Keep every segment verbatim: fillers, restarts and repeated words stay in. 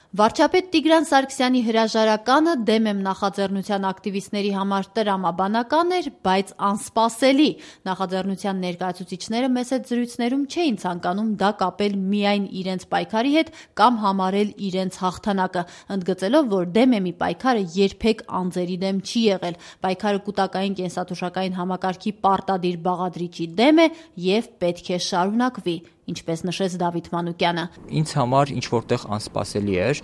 Վարչապետ Տիգրան Սարգսյանի հրաժարականը դեմ եմ նախաձեռնության ակտիվիստների համար տրամաբանական էր, բայց անսպասելի։ Նախաձեռնության ներկայացուցիչները մեծ զրույցներում չէին ցանկանում դա կապել միայն իրենց պայքարի հետ կամ համարել իրենց հաղթանակը, ընդգծելով, որ դեմ էմի պայքարը երբեք անձերի դեմ չի եղել։ Պայքարը կուտակային կենսաթոշակային համակարգի պարտադիր բաղադրիչի դեմ է եւ պետք է շարունակվի, ինչպես նշեց Դավիթ Մանուկյանը։ Ինձ համար ինչ որտեղ անսպասելի էր,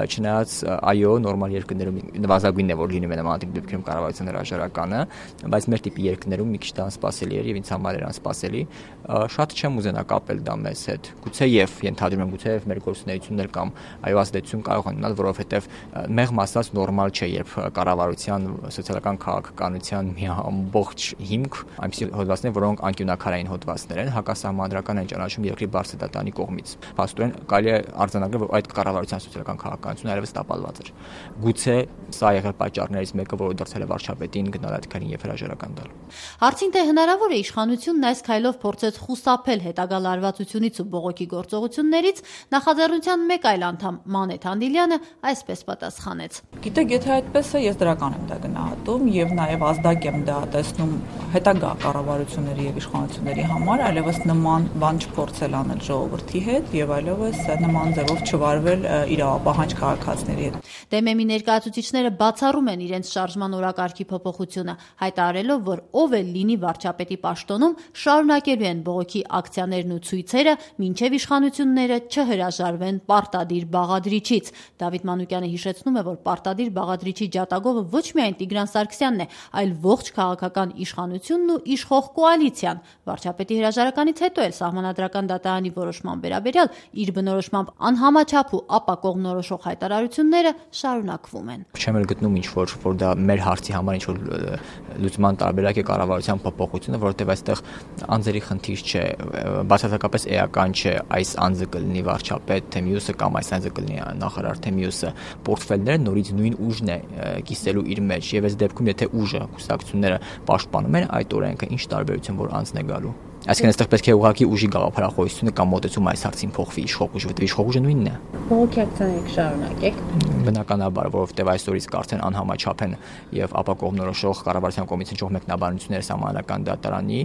չնայած այո, նորմալ երկրներում նվազագույնն է, որ լինում է նման տիպի դեպքերում կառավարության հրաժարականը, բայց մեր տիպի երկրներում մի քիչ դա անսպասելի էր եւ ինձ համար էր անսպասելի։ Շատ չեմ ուզենա կապել դա մեզ հետ։ Գուցեև ենթադրում եմ, գուցեև մեր գործունեությունն կամ այո ազդեցություն կարող են ունենալ, որովհետեւ մեղմ ասած նորմալ չէ, երբ կառավարության սոցիալական քաղաքականության մի ամբողջ հիմք այնպիսի հոդվածներ, որոնք անկյունակարային հոդվածներ են, հակասահմանադրական են ճանաչում երկրի բարձր դատանի կողմից։ Փաստորեն կարելի է արձանագրել, որ այդ կառավարության սոցիալական քաղաքականությունը այլևս տապալված էր։ Գուցե սա եղել պատճառներից մեկը, որը դարձել է վարչապետին գնալ այդ քայլին եւ հրաժարական տալ։ Հարցին թե հնարավոր է իշխանությունն այս քայլով փորձեց խուսափել հետագա լարվածությունից ու բողոքի գործողություններից, նախաձեռնության մեկ այլ անդամ Մանեթ Անդիլյանը այսպես պատասխանեց. Գիտեք, եթե այդպես է, ես դրական եմ դա գնահատում եւ նաեւ ազդակ եմ դա տեսնում հետագա կառավարությունների եւ իշխանությունների համար, այլևս նման բան չփորձել անել ժողովրդի հետ եւ այլևս նման ձևով չվարվել իրավապահանջ քաղաքացիների հետ։ Դեմեմի ներկայացուցիչները բացառում են իրենց շարժման օրակարգի փոփոխությունը, հայտարարելով, որ ով էլ լինի վարչապետի պաշտոնում, շարունակելու են բողոքի ակցիաներն ու ցույցերը, մինչև իշխանությունները չհրաժարվեն պարտադիր բաղադրիչից։ Դավիթ Մանուկյանը հիշեցնում է, որ պարտադիր բաղադրիչի ջատագովը ոչ միայն Տիգրան Սարգսյանն է, այլ ողջ քաղաքական իշխանությունն ու իշխող կոալիցիան։ Վարչապետի հրաժարականից հետո էլ Սահմանադրական դատարանի որոշման վերաբերյալ իր բնորոշմամբ անհամաչափ ու ապակողմնորոշող հայտարարությունները շարունակվում են։ Չեմ էլ գտնում ինչ որ որ դա մեր հարցի համար ինչ որ լուծման տարբերակ է կառավարության փոփոխությունը, որովհետև այստեղ անձերի խնդիր չէ, բացարձակապես էական չէ այս անձը կլինի վարչապետ, թե մյուսը կամ այս անձը կլինի նախարար, թե մյուսը։ Պորտֆելները նորից նույն ուժն է կիսելու իր մեջ եւ այս դեպքում եթե ուժը կուսակցությունները պաշտպանում են այդ օրենքը, ինչ տարբերություն որ անձն է գալու։ Այսինքն այստեղ պետք է ուղղակի ուժի գաղափարախոսությունը կամ մոտեցումը այս հարցին փոխվի, իշխող ուժը, որտեղ իշխող ուժը նույնն է։ Բողոքի ակցիաները շարունակեք։ Բնականաբար, որովհետև այսօրից արդեն անհամաչափ են եւ ապակողմնորոշող կառավարության կողմից հնչող մեկնաբանությունները Սահմանադրական դատարանի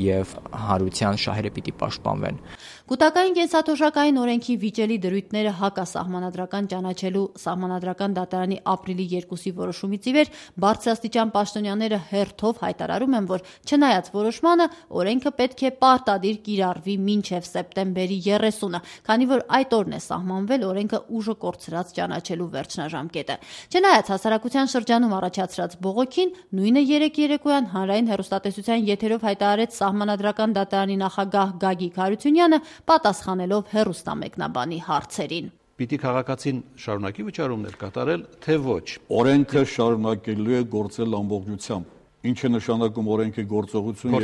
եւ հանրության շահերը պիտի պաշտպանվեն։ Կուտակային կենսաթոշակային օրենքի վիճելի դրույթները հակասահմանադրական ճանաչելու Սահմանադրական դատարանի ապրիլի երկուսի որոշումից ի վեր բարձրաստիճան պաշտոնյաները հերթով հայտարարում են, որ չնայած որոշմանը օրենքը պետք է պարտադիր կիրառվի մինչև սեպտեմբերի երեսունը, քանի որ այդ օրն է սահմանվել օրենքը ուժը կորցրած ճանաչելու վերջնաժամկետը։ Չնայած հասարակության շրջանում առաջացրած բողոքին, նույնը երեկ երեկոյան հանրային հեռուստատեսության եթերով հայտարարեց Սահմանադրական դատարանի նախագահ Գագիկ Հարությունյանը, պատասխանելով հեռուստամեկնաբանի հարցերին։ Պիտի քաղաքացին շարունակի վճարումներ կատարել, թե ոչ։ Օրենքը շարունակելու է գործել ամբողջությամբ։ Ինչ է նշանակում օրենքի գործողությունը,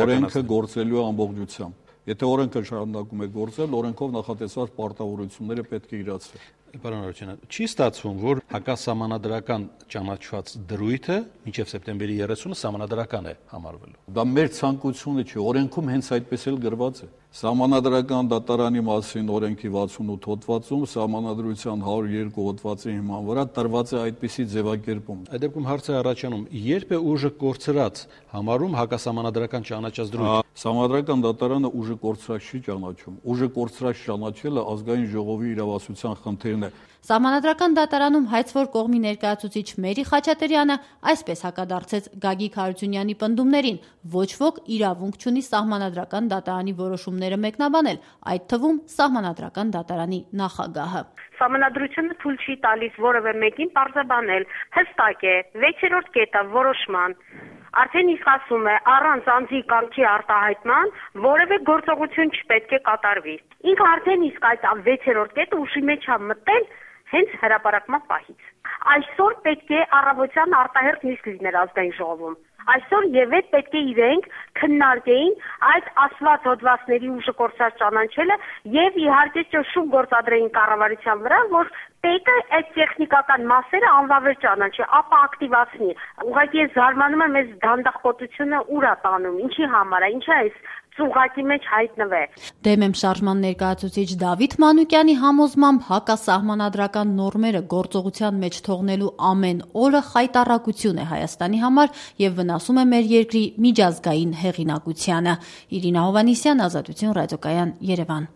օրենքը գործելու է ամբողջությամբ։ Եթե օրենքը շարունակում է գործել, օրենքով նախատեսված պարտավորությունները պետք է իրացվեն։ Պարոն Հարությունյան, չի ստացվում, որ հակասահմանադրական ճանաչված դրույթը մինչև սեպտեմբերի երեսունը սահմանադրական է համարվելու։ Դա մեր ցանկությունը չէ, օրենքում հենց այդպես էլ գրված է։ Սահմանադրական դատարանի մասին օրենքի վաթսունութ հոդվածում սահմանադրության հարյուր երկու հոդվածի հիման վրա տրված է այդպիսի ձևակերպում։ Այդ դեպքում հարցը առաջանում, երբ է ուժը կորցրած համարում հակասահմանադրական ճանաչած դրույթ։ Սահմանադրական դատարանը ուժը կորցրած չի ճանաչում։ Ուժը կորցրած ճանաչելը ազգային ժողովի իրավասության խնդիրն է։ Սահմանադրական դատարանում հայցվոր կողմի ներկայացուցիչ Մերի Խաչատրյանը այսպես հակադարձեց Գագիկ Հարությունյանի պնդումներին. ոչ ոք իրավունք չունի Սահմանադրական դատարանի որոշումները մեկնաբանել, այդ թվում Սահմանադրական դատարանի նախագահը։ Սահմանադրությունը թույլ չի տալիս որևէ մեկին պարզաբանել, հստակ է, վեցերորդ կետը որոշման արդեն իսկ ասում է առանց անձի կամքի արտահայտման որևէ գործողություն չպետք է կատարվի։ Ինքը արդեն իսկ այդ վեցերորդ կետը ուշի մեջ է մտել հենց հրապարակման պահից։ Այսօր պետք է առավոտյան արտահերթ նիստ լիներ ազգային ժողովում։ Այսօր եւ այդ պետք է իրենք քննարկեին այդ ասված հոդվածների ուժը կորցրած ճանաչելը եւ իհարկե ճշում գործադրեին կառավարության վրա, որ պետը այդ տեխնիկական մասերը անվավեր ճանաչի, ապա ակտիվացնի։ Ուղղակի ես զարմանում եմ այս դանդաղպոտությունը ուր է տանում, ինչի համար է, ինչա այս ծուղակի մեջ հայտնվե։ Դեմ եմ շարժման ներկայացուցիչ Դավիթ Մանուկյանի համոզմամբ հակասահմանադրական նորմերը գործողության մեջ թողնելու ամեն օրը խայտառակություն է Հայաստանի համար եւ վնասում է մեր երկրի միջազգային հեղինակությանը։ Իրինա Հովհաննիսյան, Ազատություն ռադիոկայան, Երևան։